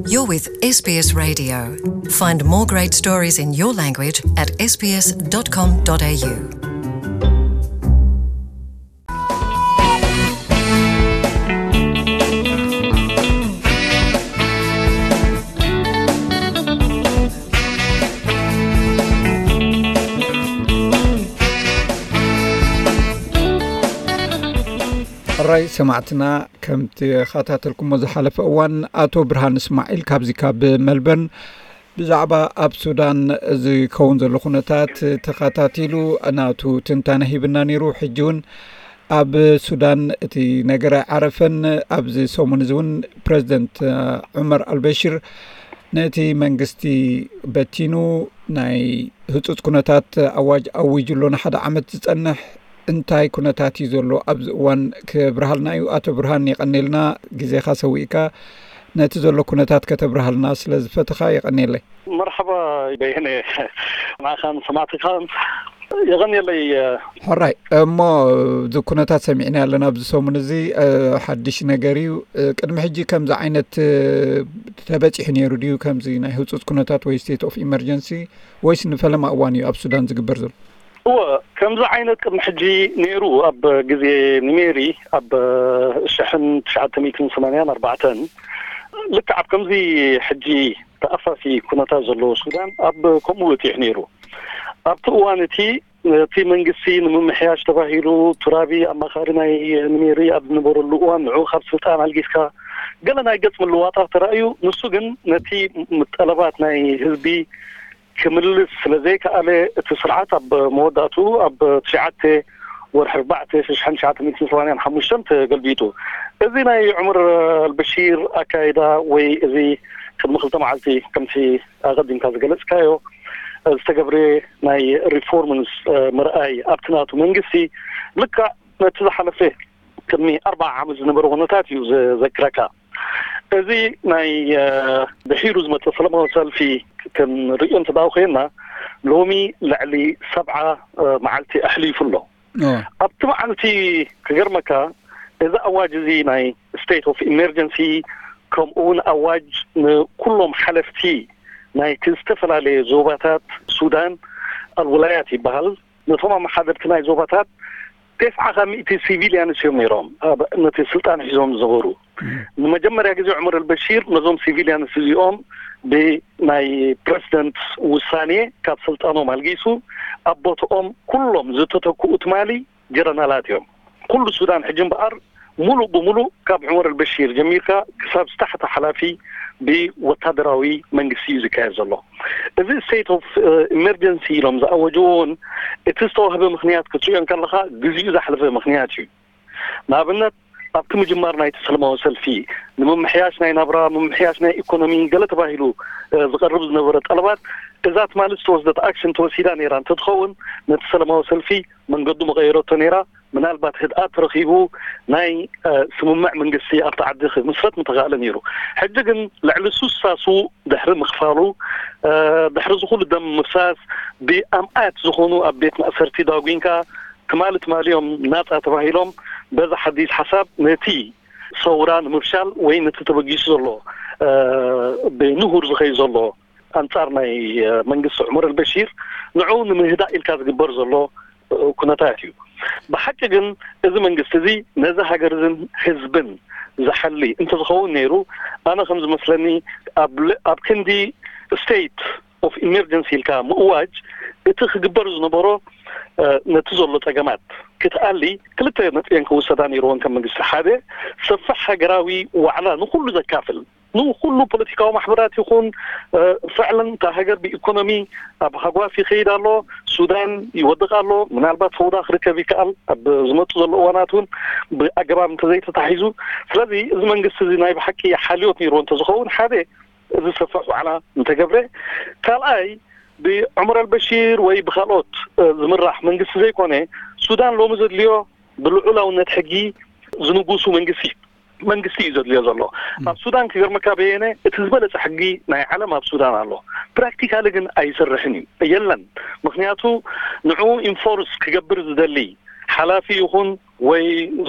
You're with S B S Radio. Find more great stories in your language at S B S dot com dot A U. ሕራይ ሰማዕትና፣ ከም ተኸታተልኩሞ ዝሓለፈ እዋን፣ ኣቶ ብርሃን እስማዒል ካብዚ ካብ መልበርን ብዛዕባ ኣብ ሱዳን ዝከውን ዘሎ ኩነታት ተኸታቲሉ ናቱ ትንታነ ሂብና ነይሩ። ሕጂ እውን ኣብ ሱዳን እቲ ነገር ኣይዓረፈን። ኣብዚ ሰሙን እዚ እውን ፕረዚደንት ዑመር ኣልበሽር ነቲ መንግስቲ በቲኑ ናይ ህጹጽ ኩነታት ኣዋጅ ኣዊጁ ኣሎ። ንሓደ ዓመት ዝጸንሕ እንታይ ኩነታት እዩ ዘሎ ኣብዚ እዋን ክብርሃልና እዩ። ኣቶ ብርሃን፣ የቐኔልና ግዜኻ ሰዊእካ ነቲ ዘሎ ኩነታት ከተብርሃልና ስለ ዝፈተኻ የቐኔለይ። መርሓባ በየነ፣ ንዓኻን ሰማዕትኻን የቐኔለይ። ሕራይ እሞ፣ እዚ ኩነታት ሰሚዕና ኣለና ኣብዚ ሰሙን እዚ፣ እ፣ ሓድሽ ነገር እዩ። እ፣ ቅድሚ ሕጂ ከምዚ ዓይነት፣ እ፣ ተበጺሑ ነይሩ ድዩ? ከምዚ ናይ ህጹጽ ኩነታት ወይ ስቴት ኦፍ ኢመርጀንሲ፣ ወይስ ንፈለማ እዋን እዩ ኣብ ሱዳን ዝግበር ዘሎ? እወ፣ ከምዚ ዓይነት ቅድሚ ሕጂ ነይሩ። ኣብ ግዜ ኒሜሪ ኣብ ሽሕን ትሽዓተ ሚእትን ሰማንያን ኣርባዕተን፣ ልክዕ ኣብ ከምዚ ሕጂ ተኣፋፊ ኩነታት ዘለዎ ሱዳን ኣብ ከምኡ በጺሑ ነይሩ። ኣብቲ እዋን እቲ፣ እቲ መንግስቲ ንምምሕያሽ ተባሂሉ፣ ቱራቢ ኣማኻሪ ናይ ኒሜሪ ኣብ ዝነበረሉ እዋን፣ ንዑ ካብ ስልጣን ኣልጊስካ፣ ገለ ናይ ገጽ ምልዋጣት ተራእዩ። ንሱ ግን ነቲ ም-፣ ጠለባት ናይ ህዝቢ ክምልስ ስለ ዘይከኣለ፣ እቲ ስርዓት ኣብ መወዳእትኡ ኣብ ትሽዓተ ወርሒ ኣርባዕተ ሽሕን ትሽዓተ ሚእትን ሰማንያን ሓሙሽተን ተገልቢጡ። እዚ ናይ ዑመር ኣልበሺር ኣካይዳ ወይ እዚ ቅድሚ ክልተ መዓልቲ ከምቲ ኣቐዲምካ ዝገለጽካዮ ዝተገብረ ናይ ሪፎርምስ፣ እ፣ ምርኣይ ኣብቲ ናቱ መንግስቲ ልክዕ ነቲ ዝሓለፈ ቅድሚ ኣርባዓ ዓመት ዝነበረ ኩነታት እዩ ዘ-፣ ዘክረካ። እዚ ናይ፣ እ፣ ድሒሩ ዝመጸ ሰላማዊ ሰልፊ ክንርእዮ እንተ ደኣ ኮይንና፣ ሎሚ ልዕሊ ሰብዓ፣ እ፣ መዓልቲ ኣሕሊፉ ኣሎ። ኦ። ኣብቲ መዓልቲ ክገርመካ፣ እዚ ኣዋጅ እዚ ናይ ስቴት ኦፍ ኢመርጀንሲ፣ ከምኡ እውን ኣዋጅ ንኩሎም ሓለፍቲ ናይቲ ዝተፈላለየ ዞባታት ሱዳን፣ ኣልውላያት ይበሃል፣ ነቶም ኣመሓደርቲ ናይ ዞባታት፣ ተስዓ ካብ ሚእቲ ሲቪልያንስ እዮም ነይሮም ኣብ ነቲ ስልጣን ሒዞም ዝነበሩ። እም። ንመጀመርያ ግዜ ዑመር ኣልበሺር ነዞም ሲቪልያንስ እዚኦም ብናይ ፕረዚደንት ውሳኔ ካብ ስልጣኖም ኣልጊሱ፣ ኣብ ቦትኦም ኩሎም ዝተተክኡ ትማሊ ጀረናላት እዮም። ኩሉ ሱዳን ሕጂ እምበኣር ሙሉእ ብሙሉእ ካብ ዑመር ኣልበሺር ጀሚርካ ክሳብ ዝታሕቲ ሓላፊ ብወታደራዊ መንግስቲ እዩ ዝካየድ ዘሎ። እዚ ስቴት ኦፍ፣ እ፣ ኢመርጀንሲ ኢሎም ዝኣወጅዎ እውን እቲ ዝተዋህበ ምኽንያት ክትሪኦ እንከለኻ ግዜኡ ዝሓለፈ ምኽንያት እዩ። ንኣብነት ኣብቲ ምጅማር ናይቲ ሰላማዊ ሰልፊ ንምምሕያሽ ናይ ናብራ፣ ምምሕያሽ ናይ ኢኮኖሚ ገለ ተባሂሉ፣ እ፣ ዝቐርብ ዝነበረ ጠለባት እዛ ትማሊ ዝተወስደት ኣክሽን ተወሲዳ ነይራ እንተትኸውን ነቲ ሰላማዊ ሰልፊ መንገዱ መቐየረቶ ነይራ። ምናልባት ህድኣት ተረኺቡ ናይ፣ እ፣ ስምምዕ መንግስቲ ኣብቲ ዓዲ ክምስረት ምተኻእለ ነይሩ። ሕጂ ግን ልዕሊ ሱሳ ስዉእ ድሕሪ ምኽፋሉ፣ እ፣ ድሕሪ እዚ ኩሉ ደም ምፍሳስ ብኣምኣት ዝኾኑ ኣብ ቤት ማእሰርቲ ዳጒንካ ትማሊ ትማሊ እዮም ናጻ ተባሂሎም በዚ ሓዲስ ሓሳብ ነቲ ሰውራ ንምፍሻል ወይ ነቲ ተበጊሱ ዘሎ፣ እ፣ ብንሁር ዝኸይድ ዘሎ ኣንጻር ናይ፣ እ፣ መንግስቲ ዑመር ኣልበሺር ንዕኡ ንምህዳእ ኢልካ ዝግበር ዘሎ፣ እ፣ ኩነታት እዩ። ብሓቂ ግን እዚ መንግስቲ እዚ ነዚ ሃገር እዝን ህዝብን ዝሓሊ እንተዝኸውን ነይሩ፣ ኣነ ከም ዝመስለኒ ኣብ ል-፣ ኣብ ክንዲ ስቴት ኦፍ ኢመርጀንሲ ኢልካ ምእዋጅ እቲ ክግበር ዝነበሮ፣ እ፣ ነቲ ዘሎ ጸገማት ክትኣሊ ክልተ ነጥቢ እየን ክውሰዳ ነይርወን ከም መንግስቲ። ሓደ፣ ሰፊሕ ሃገራዊ ዋዕላ ንኹሉ ዘካፍል፣ ንኹሉ ፖለቲካዊ ማሕበራት ይኹን፣ እ፣ ፍዕለን እታ ሃገር ብኢኮኖሚ ኣብ ሃጓፍ ይኸይድ ኣሎ፣ ሱዳን ይወድቕ ኣሎ፣ ምናልባት ፈውዳ ክርከብ ይከኣል ኣብ ዝመጡ ዘሎ እዋናት እውን ብኣገባብ እንተዘይተታሒዙ። ስለዚ እዚ መንግስቲ እዚ ናይ ብሓቂ ሓልዮት ነይርዎ እንተዝኸውን፣ ሓደ፣ እዚ ሰፊሕ ዋዕላ እንተገብረ፣ ካልኣይ፣ ብዑመር ኣልበሺር ወይ ብካልኦት፣ እ፣ ዝምራሕ መንግስቲ ዘይኮነ፣ ሱዳን ሎሚ ዘድልዮ ብልዑላውነት ሕጊ ዝንጉሱ መንግስቲ፣ መንግስቲ እዩ ዘድልዮ ዘሎ። ም። ኣብ ሱዳን ክገርመካ በየነ፣ እቲ ዝበለጸ ሕጊ ናይ ዓለም ኣብ ሱዳን ኣሎ። ፕራክቲካሊ ግን ኣይሰርሕን እዩ፣ የለን። ምኽንያቱ ንዕኡ ኢንፎርስ ክገብር ዝደሊ ሓላፊ ይኹን ወይ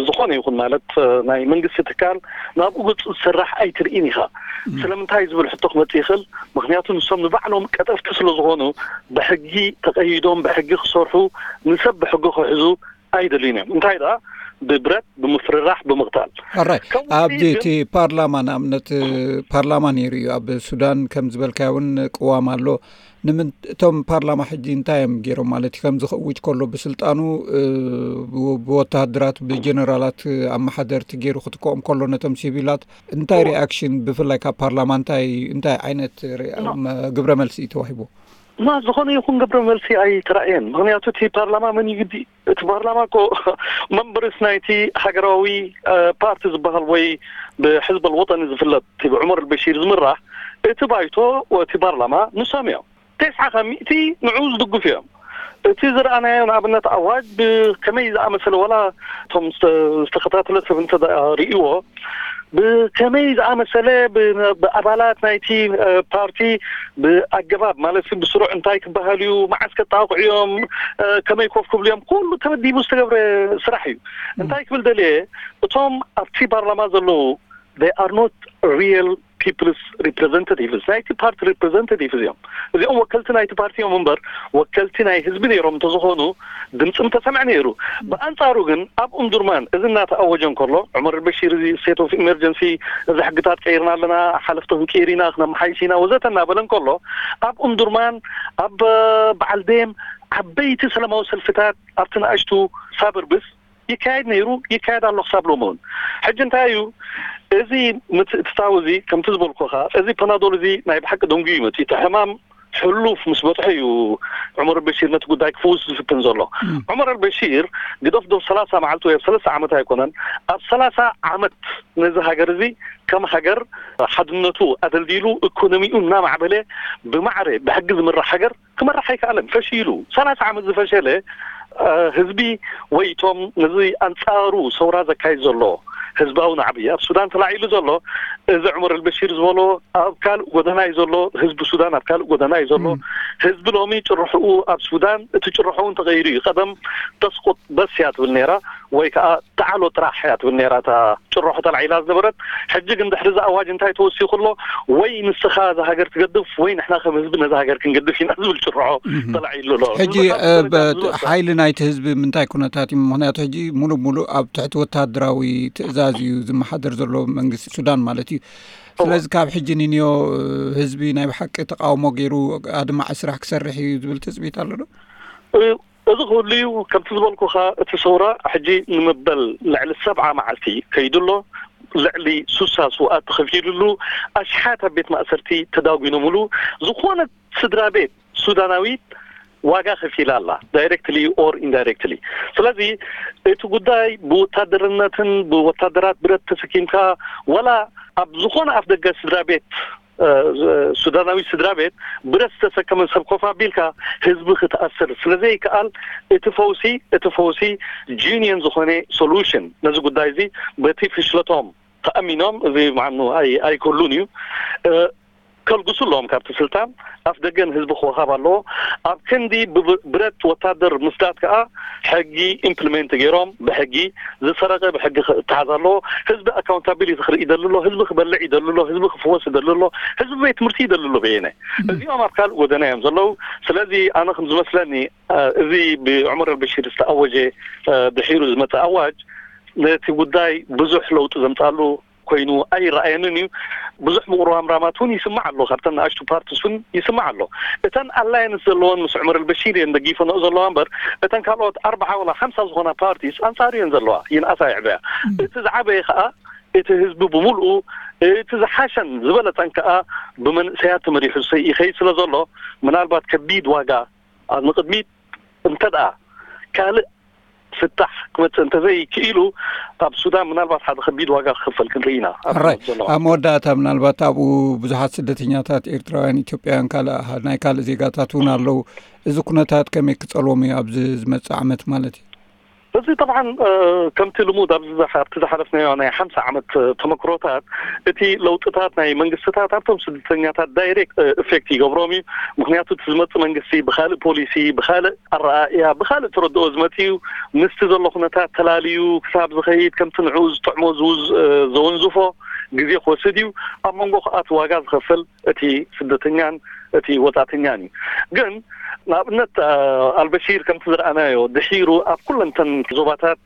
ዝኾነ ይኹን ማለት ናይ መንግስቲ ትካል ናብኡ ገጹ ዝስራሕ ኣይትርኢን ኢኻ። ስለምንታይ ዝብል ሕቶ ክመጽእ ይኽእል። ምክንያቱ ንሶም ንባዕሎም ቀጠፍቲ ስለ ዝኾኑ ብሕጊ ተቐይዶም ብሕጊ ክሰርሑ፣ ንሰብ ብሕጊ ክሕዙ ኣይደልዩን እዮም። እንታይ ደኣ ብብረት ብምፍርራሕ ብምቕታል። ኣራይ ከምኡ ኣብዚ ግን እቲ ፓርላማ ንኣብነት ፓርላማ ነይሩ እዩ ኣብ ሱዳን ከም ዝበልካዮ እውን ቅዋም ኣሎ። ንምንቶም ፓርላማ ሕጂ እንታይ እዮም ገይሮም ማለት እዩ ከምዚ ክእውጅ ከሎ ብስልጣኑ ብወታሃደራት ብጀነራላት ኣመሓደርቲ ገይሩ ክትከኦም ከሎ ነቶም ሲቪላት እንታይ ሪኣክሽን ብፍላይ ካብ ፓርላማ እንታይ እንታይ ዓይነት ግብረ መልሲ እዩ ተዋሂቡ? ማ ዝኾነ ይኹን ግብረ መልሲ ኣይተራእየን። ምክንያቱ እቲ ፓርላማ መን ይግዲ እቲ ፓርላማ እኮ መንበርስ ናይቲ ሃገራዊ ፓርቲ ዝበሃል ወይ ብሕዝብ ኣልወጠኒ ዝፍለጥ እቲ ብዑመር ኣልበሺር ዝምራሕ እቲ ባይቶ እቲ ፓርላማ ንሶም እዮም። ተስዓ ካብ ሚእቲ ንዑ ዝድግፉ እዮም። እቲ ዝረኣናዮ ንኣብነት ኣዋጅ ብከመይ ዝኣመሰለ ዋላ እቶም ዝተኸታተለ ሰብ እንተ ርእይዎ ብከመይ ዝኣመሰለ ብኣባላት ናይቲ ፓርቲ ብኣገባብ ማለት ብስሩዕ እንታይ ክበሃል እዩ፣ መዓስ ከጣቕዑ እዮም፣ ከመይ ኮፍ ክብሉ እዮም፣ ኩሉ ተመዲቡ ዝተገብረ ስራሕ እዩ። እንታይ ክብል ደልየ፣ እቶም ኣብቲ ፓርላማ ዘለዉ they are not real people's representatives፣ ናይቲ ፓርቲ representatives እዮም። እዚኦም ወከልቲ ናይቲ ፓርቲ እዮም እምበር ወከልቲ ናይ ህዝቢ ነይሮም እንተዝኾኑ ድምፂ ምተሰምዐ ነይሩ። ብኣንፃሩ ግን ኣብ ኡምዱርማን እዚ እናተኣወጀ እንከሎ ዑመር ኣልበሺር እዚ state of emergency፣ እዚ ሕግታት ቀይርና ኣለና፣ ሓለፍቲ ክንቅይር ኢና፣ ክነመሓይሽ ኢና ወዘተ እናበለ እንከሎ ኣብ ኡምዱርማን ኣብ በዓል ደም ዓበይቲ ሰላማዊ ሰልፍታት ኣብቲ ንኣሽቱ ሳበርብስ ይካየድ ነይሩ፣ ይካየድ ኣሎ ክሳብ ሎሚ እውን። ሕጂ እንታይ እዩ እዚ ምትእትታው እዚ ከምቲ ዝበልኩኻ እዚ ፓናዶል እዚ ናይ ብሓቂ ደንጉዩ መፅኡ እቲ ሕማም ሕሉፍ ምስ በፅሖ እዩ ዑመር ኣልበሺር ነቲ ጉዳይ ክፍውስ ዝፍትን ዘሎ። ዑመር ኣልበሺር ግደፍ ዶ ሰላሳ መዓልቲ ወይ ኣብ ሰለስተ ዓመት ኣይኮነን ኣብ ሰላሳ ዓመት ነዚ ሃገር እዚ ከም ሃገር ሓድነቱ ኣደልዲሉ ኢኮኖሚኡ እናማዕበለ ብማዕረ ብሕጊ ዝምራሕ ሃገር ክመራሕ ኣይከኣለን። ፈሺሉ ሰላሳ ዓመት ዝፈሸለ ህዝቢ ወይ እቶም ነዚ ኣንፃሩ ሰውራ ዘካይድ ዘሎ ህዝባዊ ናዕቢ ኣብ ሱዳን ተላዒሉ ዘሎ እዚ ዑመር ኣልበሺር ዝበሎ ኣብ ካልእ ጎደና እዩ ዘሎ። ህዝቢ ሱዳን ኣብ ካልእ ጎደና እዩ ዘሎ። ህዝቢ ሎሚ ጭርሕኡ ኣብ ሱዳን እቲ ጭርሖ እውን ተቐይሩ እዩ። ቀደም ተስቁጥ በስ እያ ትብል ነይራ ወይ ከዓ ተዓሎ ጥራሕ እያ ትብል ነይራ እታ ጭርሖ ተላዒላ ዝነበረት። ሕጂ ግን ድሕሪ እዚ ኣዋጅ እንታይ ተወሲኹ ኣሎ? ወይ ንስኻ እዛ ሃገር ትገድፍ ወይ ንሕና ከም ህዝቢ ነዛ ሃገር ክንገድፍ ኢና ዝብል ጭርሖ ተላዒሉ ኣሎ። ሕጂ ሓይሊ ናይቲ ህዝቢ ምንታይ ኩነታት እዩ? ምክንያቱ ሕጂ ሙሉእ ሙሉእ ኣብ ትሕቲ ወታደራዊ ትእዛዝ እዩ ዝመሓደር ዘሎ መንግስቲ ሱዳን ማለት እዩ። ስለዚ ካብ ሕጂ ንንዮ ህዝቢ ናይ ብሓቂ ተቃውሞ ገይሩ ኣድማዒ ስራሕ ክሰርሕ እዩ ዝብል ትፅቢት ኣሎ ዶ? እዚ ክህሉ እዩ። ከምቲ ዝበልኩኻ እቲ ሰውራ ሕጂ ንመበል ልዕሊ ሰብዓ መዓልቲ ከይዱ ኣሎ። ልዕሊ ሱሳ ስውኣት ተኸፊሉሉ፣ ኣሽሓት ኣብ ቤት ማእሰርቲ ተዳጒኖምሉ፣ ዝኾነ ስድራ ቤት ሱዳናዊት ዋጋ ከፊላ ኣላ፣ directly or indirectly። ስለዚ እቲ ጉዳይ ብወታደርነትን ብወታደራት ብረት ተሰኪምካ ዋላ ኣብ ዝኾነ ኣፍ ደገ ስድራ ቤት ሱዳናዊ ስድራ ቤት ብረት ዝተሰከመ ሰብ ኮፍ ኣቢልካ ህዝቢ ክትኣስር ስለዘይከኣል እቲ ፈውሲ እቲ ፈውሲ genuine ዝኾነ solution ነዚ ጉዳይ እዚ በቲ ፍሽለቶም ተኣሚኖም እዚ ምዓኑ ኣይክህሉን እዩ። ከልግሱ ኣለዎም ካብቲ ስልጣን ኣፍ ደገ ንህዝቢ ክወሃብ ኣለዎ። ኣብ ክንዲ ብብረት ወታደር ምስዳድ ከዓ ሕጊ implement ገይሮም ብሕጊ ዝሰረቀ ብሕጊ ክተሓዝ ኣለዎ። ህዝቢ accountability ክርኢ ይደሊ ኣሎ፣ ህዝቢ ክበልዕ ይደሊ ኣሎ፣ ህዝቢ ክፍወስ ይደሊ ኣሎ፣ ህዝቢ ቤት ትምህርቲ ይደሊ ኣሎ። በየነ እዚኦም ኣብ ካልእ ጎደና እዮም ዘለዉ። ስለዚ ኣነ ከም ዝመስለኒ እዚ ብዑመር ኣልበሺር ዝተኣወጀ ድሒሩ ዝመፀ ኣዋጅ ነቲ ጉዳይ ብዙሕ ለውጢ ዘምፃሉ ኮይኑ ኣይረኣየንን እዩ። ብዙሕ ምቁርራምራማት እውን ይስማዕ ኣሎ፣ ካብተን ንኣሽቱ ፓርቲስ እውን ይስማዕ ኣሎ። እተን ኣላየንስ ዘለወን ምስ ዑመር ኣልበሺር እየን ደጊፈንኦ ዘለዋ እምበር እተን ካልኦት ኣርባዓ ወላ ሓምሳ ዝኾና ፓርቲስ ኣንፃሩ እየን ዘለዋ፣ ይንኣሳ ይዕበያ። እቲ ዝዓበየ ከዓ እቲ ህዝቢ ብምልኡ እቲ ዝሓሸን ዝበለፀን ከዓ ብመንእሰያት ተመሪሑ ይኸይድ ስለ ዘሎ ምናልባት ከቢድ ዋጋ ኣብ ንቅድሚት እንተደኣ ካልእ ፍታሕ ክመፅእ እንተዘይክኢሉ ኣብ ሱዳን ምናልባት ሓደ ከቢድ ዋጋ ክኽፈል ክንርኢ ኢና። ራይ ኣብ መወዳእታ ምናልባት ኣብኡ ብዙሓት ስደተኛታት ኤርትራውያን ኢትዮጵያውያን ካልእ ናይ ካልእ ዜጋታት እውን ኣለዉ። እዚ ኩነታት ከመይ ክፀልዎም እዩ ኣብዚ ዝመፅእ ዓመት ማለት እዩ? እዚ ጠብዓን ከምቲ ልሙድ ኣብዚ ኣብቲ ዝሓለፍናዮ ናይ ሓምሳ ዓመት ተመክሮታት፣ እቲ ለውጥታት ናይ መንግስትታት ኣብቶም ስደተኛታት ዳይሬክት ኢፌክት ይገብሮም እዩ። ምክንያቱ እቲ ዝመፅእ መንግስቲ ብካልእ ፖሊሲ፣ ብካልእ ኣረኣእያ፣ ብካልእ ተረድኦ ዝመፅ እዩ። ምስቲ ዘሎ ኩነታት ተላልዩ ክሳብ ዝኸይድ፣ ከምቲ ንዕኡ ዝጥዕሞ ዘወንዝፎ ግዜ ክወስድ እዩ። ኣብ መንጎ ከኣ እቲ ዋጋ ዝኸፍል እቲ ስደተኛን እቲ ወጻእተኛን እዩ። ግን ንኣብነት ኣልበሺር ከምቲ ዝረኣናዮ ድሒሩ ኣብ ኩለንተን ዞባታት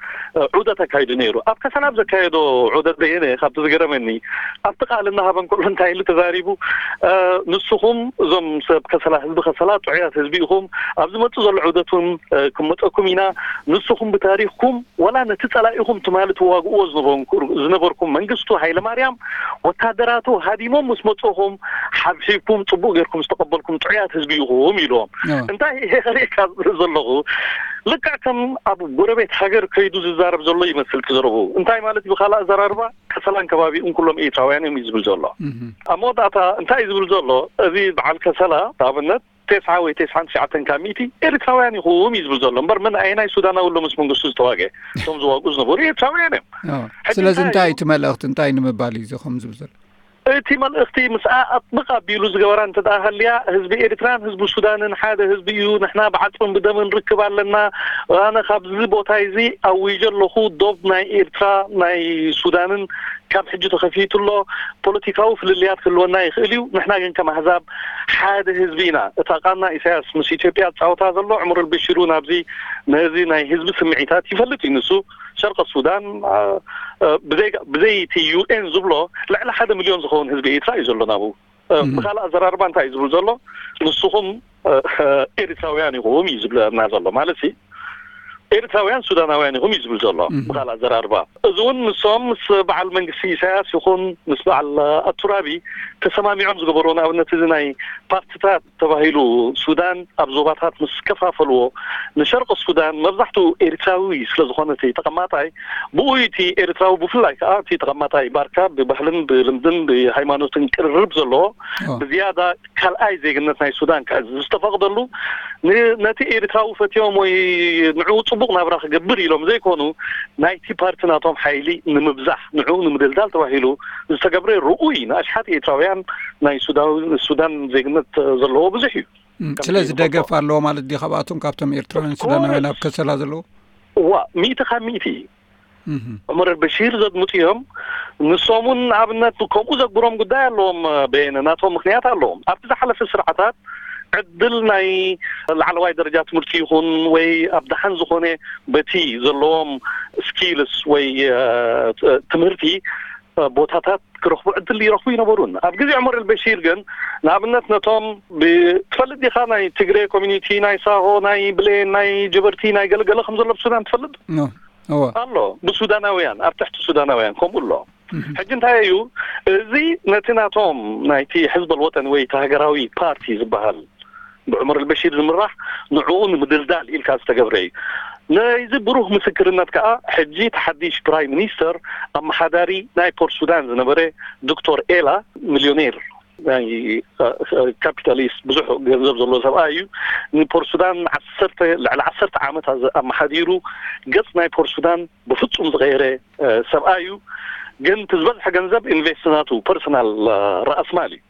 ዑደት ኣካይዱ ነይሩ። ኣብ ከሰላ ኣብ ዘካየዶ ዑደት በየነ ካብቲ ዝገረመኒ ኣብቲ ቃል እናሃበን ኩሉ እንታይ ኢሉ ተዛሪቡ፣ ንስኹም እዞም ሰብ ከሰላ፣ ህዝቢ ከሰላ ጥዑያት ህዝቢ ኢኹም፣ ኣብ ዝመጽእ ዘሎ ዑደት እውን ክመጸኩም ኢና። ንስኹም ብታሪኽኩም ወላ ነቲ ጸላኢኹም ትማሊ ትዋግእዎ ዝነበርኩም መንግስቱ ሃይለማርያም ወታደራቱ ሃዲሞም ምስ መጽኹም ሓብሒብኩም ጽቡቕ ጌርኩም ዝተቐበልኩም ጥዑያት ህዝቢ ኢኹም ኢልዎም። እንታይ ይሄ ከርእየካ ዘለኹ ልክዕ ከም ኣብ ጎረቤት ሃገር ከይዱ ዝዛረብ ዘሎ ይመስል ትዘረቡ። እንታይ ማለት እዩ? ብካልእ ኣዘራርባ ከሰላን ከባቢኡን ኩሎም ኤርትራውያን እዮም እዩ ዝብል ዘሎ። ኣብ መወዳእታ እንታይ እዩ ዝብል ዘሎ? እዚ በዓል ከሰላ ንኣብነት ተስዓ ወይ ተስዓን ትሽዓተን ካብ ሚእቲ ኤርትራውያን ኢኹም እዩ ዝብል ዘሎ። እምበር ምን ኣየናይ ሱዳናዊ ኣሎ ምስ መንግስቱ ዝተዋገ? እቶም ዝዋግኡ ዝነበሩ ኤርትራውያን እዮም። ስለዚ እንታይ እዩ እቲ መልእኽቲ? እንታይ ንምባል እዩ እዚ ከም ዝብል ዘሎ? እቲ መልእኽቲ ምስኣ ኣጥብቕ ኣቢሉ ዝገበራ እንተ ደኣ ሃልያ፣ ህዝቢ ኤርትራን ህዝቢ ሱዳንን ሓደ ህዝቢ እዩ። ንሕና ብዓጽምን ብደምን ርክብ ኣለና። ኣነ ካብዚ ቦታ እዚ ኣዊጀ ኣለኹ። ዶብ ናይ ኤርትራ ናይ ሱዳንን ካብ ሕጂ ተኸፊቱ ኣሎ። ፖለቲካዊ ፍልልያት ክህልወና ይኽእል እዩ። ንሕና ግን ከም ኣህዛብ ሓደ ህዝቢ ኢና። እታ ቃና ኢሳያስ ምስ ኢትዮጵያ ዝጻወታ ዘሎ፣ ዑመር ኣልበሺር እውን ኣብዚ ነዚ ናይ ህዝቢ ስምዒታት ይፈልጥ እዩ። ንሱ ሸርቂ ሱዳን ብዘይ እቲ ዩ ኤን ዝብሎ ልዕሊ ሓደ ሚልዮን ዝኸውን ህዝቢ ኤርትራ እዩ ዘሎ ናብኡ። ብካልእ ኣዘራርባ እንታይ እዩ ዝብል ዘሎ? ንስኹም ኤርትራውያን ኢኹም እዩ ዝብለና ዘሎ ማለት ሲ ኤርትራውያን ሱዳናውያን ኢኹም እዩ ዝብል ዘሎ። ብካልእ ኣዘራርባ እዚ እውን ንሶም ምስ በዓል መንግስቲ ኢሳያስ ይኹን ምስ በዓል ኣቱራቢ ተሰማሚዖም ዝገበርዎ፣ ንኣብነት እዚ ናይ ፓርትታት ተባሂሉ ሱዳን ኣብ ዞባታት ምስ ከፋፈልዎ፣ ንሸርቂ ሱዳን መብዛሕትኡ ኤርትራዊ ስለ ዝኾነ እቲ ተቐማጣይ፣ ብኡ እቲ ኤርትራዊ ብፍላይ ከዓ እቲ ተቐማጣይ ባርካ ብባህልን ብልምድን ብሃይማኖትን ቅርርብ ዘለዎ ብዝያዳ ካልኣይ ዜግነት ናይ ሱዳን ክሕዝ ዝተፈቕደሉ፣ ነቲ ኤርትራዊ ፈትዮም ወይ ንዕኡ ጽቡቕ ናብራ ክገብር ኢሎም ዘይኮኑ፣ ናይቲ ፓርቲ ናቶም ሓይሊ ንምብዛሕ፣ ንዕኡ ንምድልዳል ተባሂሉ ዝተገብረ ርኡይ ንኣሽሓት ኤርትራውያን ናይ ሱዳን ዜግነት ዘለዎ ብዙሕ እዩ። ስለዚ ደገፍ ኣለዎ ማለት ድዩ ካብኣቶም፣ ካብቶም ኤርትራውያን ሱዳናውያን ኣብ ከሰላ ዘለዉ? እዋ፣ ሚእቲ ካብ ሚእቲ እዩ። ዑመር ኣልበሺር ዘድምፁ እዮም። ንሶም እውን ንኣብነት ከምኡ ዘግብሮም ጉዳይ ኣለዎም። በየነ ናቶም ምክንያት ኣለዎም። ኣብቲ ዝሓለፈ ስርዓታት ዕድል ናይ ላዕለዋይ ደረጃ ትምህርቲ ይኹን ወይ ኣብ ደሓን ዝኾነ በቲ ዘለዎም ስኪልስ ወይ ትምህርቲ ቦታታት ክረኽቡ ዕድል ይረኽቡ ይነበሩን። ኣብ ግዜ ዑመር ኣልበሺር ግን ንኣብነት ነቶም ብትፈልጥ ዲኻ ናይ ትግሬ ኮሚኒቲ፣ ናይ ሳሆ፣ ናይ ብሌን፣ ናይ ጀበርቲ፣ ናይ ገለገለ ከም ዘሎ ብሱዳን ትፈልጥ ኣሎ። ብሱዳናውያን ኣብ ትሕቲ ሱዳናውያን ከምኡ ኣሎ። ሕጂ እንታይ እዩ እዚ? ነቲ ናቶም ናይቲ ሕዝብ ኣልወጠን ወይ እቲ ሃገራዊ ፓርቲ ዝበሃል ብዑመር ኣልበሺር ዝምራሕ ንዕኡ ንምድልዳል ኢልካ ዝተገብረ እዩ። ናይዚ ብሩህ ምስክርነት ከዓ ሕጂ እቲ ሓድሽ ፕራይም ሚኒስተር ኣመሓዳሪ ናይ ፖርት ሱዳን ዝነበረ ዶክተር ኤላ፣ ሚልዮኔር ናይ ካፒታሊስት ብዙሕ ገንዘብ ዘለዎ ሰብኣይ እዩ። ንፖርት ሱዳን ዓሰርተ ልዕሊ ዓሰርተ ዓመት ኣመሓዲሩ ገጽ ናይ ፖርት ሱዳን ብፍጹም ዝቐየረ ሰብኣይ እዩ። ግን እቲ ዝበዝሐ ገንዘብ ኢንቨስት ናቱ ፐርሰናል ራእስማል እዩ።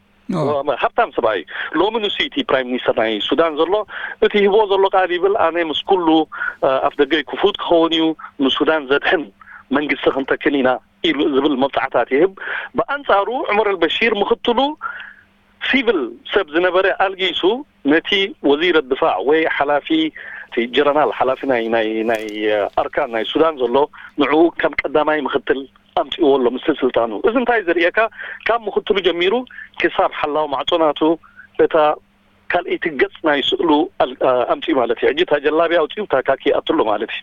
ሃብታም ሰብኣይ። ሎሚ ንሱ እቲ ፕራይም ሚኒስተር ናይ ሱዳን ዘሎ። እቲ ሂቦ ዘሎ ቃል ይብል ኣነ ምስ ኩሉ ኣፍ ደገይ ክፉት ክኸውን እዩ፣ ንሱዳን ዘድሕን መንግስቲ ክንተክል ኢና ኢሉ ዝብል መብጻዕታት ይህብ። ብኣንጻሩ ዑመር ኣልበሺር ምክትሉ ሲቪል ሰብ ዝነበረ ኣልጊሱ ነቲ ወዚር ድፋዕ ወይ ሓላፊ እቲ ጀረናል ሓላፊ ናይ ናይ ናይ ኣርካን ናይ ሱዳን ዘሎ ንዕኡ ከም ቀዳማይ ምክትል ኣምጺእዎ ኣሎ ምስቲ ስልጣኑ። እዚ እንታይ ዘርእየካ? ካብ ምክትሉ ጀሚሩ ክሳብ ሓላው ማዕጾ ናቱ እታ ካልኣይቲ ገጽ ናይ ስእሉ ኣምጺኡ ማለት እዩ። ሕጂ እታ ጀላብያ ኣውጺኡ እታ ካኪ ኣትሎ ማለት እዩ።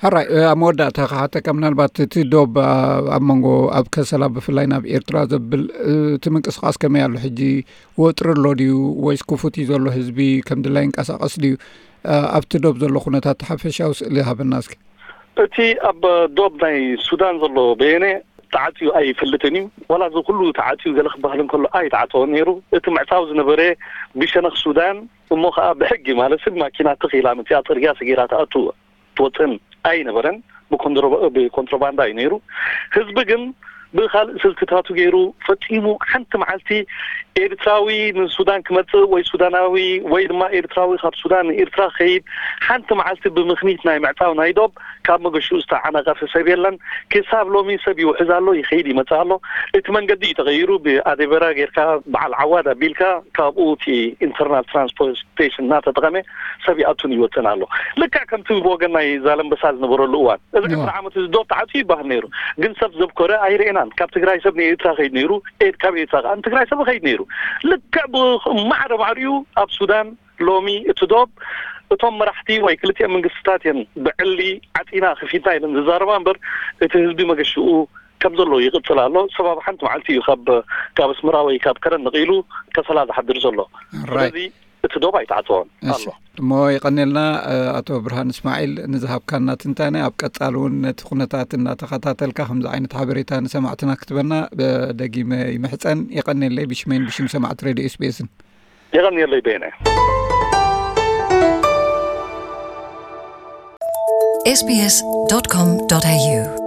ሕራይ፣ ኣብ መወዳእታ ክሓተካ ምናልባት እቲ ዶብ ኣብ መንጎ ኣብ ከሰላ ብፍላይ ናብ ኤርትራ ዘብል እቲ ምንቅስቃስ ከመይ ኣሎ ሕጂ? ወጥሪ ኣሎ ድዩ ወይስ ክፉት እዩ ዘሎ? ህዝቢ ከም ድላይ ይንቀሳቀስ ድዩ? ኣብቲ ዶብ ዘሎ ኩነታት ሓፈሻዊ ስእሊ ሃበና እስኪ። እቲ ኣብ ዶብ ናይ ሱዳን ዘሎ በየነ ተዓፅዩ ኣይፈልጥን እዩ። ዋላ እዚ ኩሉ ተዓፅዩ ገለ ክበሃል እንከሎ ኣይተዓፀወን ነይሩ። እቲ ምዕፃው ዝነበረ ብሸነኽ ሱዳን እሞ ከዓ ብሕጊ ማለት ሰብ ማኪና ተኺላ መፅያ ፅርግያ ሰጊራ ትኣቱ ትወፅእን ኣይነበረን። ብኮንትሮባንዳ እዩ ነይሩ። ህዝቢ ግን ብካልእ ስልትታቱ ገይሩ ፈጺሙ ሓንቲ መዓልቲ ኤርትራዊ ንሱዳን ክመጽእ ወይ ሱዳናዊ ወይ ድማ ኤርትራዊ ካብ ሱዳን ንኤርትራ ክኸይድ ሓንቲ መዓልቲ ብምኽኒት ናይ ምዕጻው ናይ ዶብ ካብ መገሽኡ ዝተዓናቐፈ ሰብ የለን። ክሳብ ሎሚ ሰብ ይውሕዝ ኣሎ፣ ይኸይድ ይመጽእ ኣሎ። እቲ መንገዲ እዩ ተቐይሩ። ብኣዴበራ ጌርካ በዓል ዓዋድ ኣቢልካ ካብኡ እቲ ኢንተርናል ትራንስፖርቴሽን እናተጠቐመ ሰብ ይኣቱን ይወፅን ኣሎ። ልክዕ ከምቲ ብወገን ናይ ዛለንበሳ ዝነበረሉ እዋን እዚ ዕስራ ዓመት እዚ ዶብ ተዓፅዩ ይበሃል ነይሩ። ግን ሰብ ዘብኮረ ኣይርኤናን። ካብ ትግራይ ሰብ ንኤርትራ ከይድ ነይሩ፣ ኤድ ካብ ኤርትራ ከዓ ንትግራይ ሰብ ከይድ ነይሩ። ልክዕ ብማዕረ ማዕሪኡ ኣብ ሱዳን ሎሚ እቲ ዶብ እቶም መራሕቲ ወይ ክልቲኦም መንግስትታት እየን ብዕሊ ዓፂና ክፊትና ኢለን ዝዛረባ እምበር እቲ ህዝቢ መገሽኡ ከም ዘሎ ይቕፅል ኣሎ። ሰብ ኣብ ሓንቲ መዓልቲ እዩ ካብ ካብ ኣስመራ ወይ ካብ ከረን ነቒሉ ከሰላ ዝሓድር ዘሎ። ስለዚ እቲ ዶብ ኣይተዓፀወን ኣሎ። እሞ ይቐኔልና ኣቶ ብርሃን እስማዒል ንዝሃብካና ትንታነ። ኣብ ቀፃሊ እውን ነቲ ኩነታት እናተኸታተልካ ከምዚ ዓይነት ሓበሬታ ንሰማዕትና ክትበና ደጊመ ይምሕፀን። ይቐኔለይ ብሽመይን ብሽም ሰማዕቲ ሬድዮ ኤስቤስን። ይቐኔለይ በየነ። sbs.com.au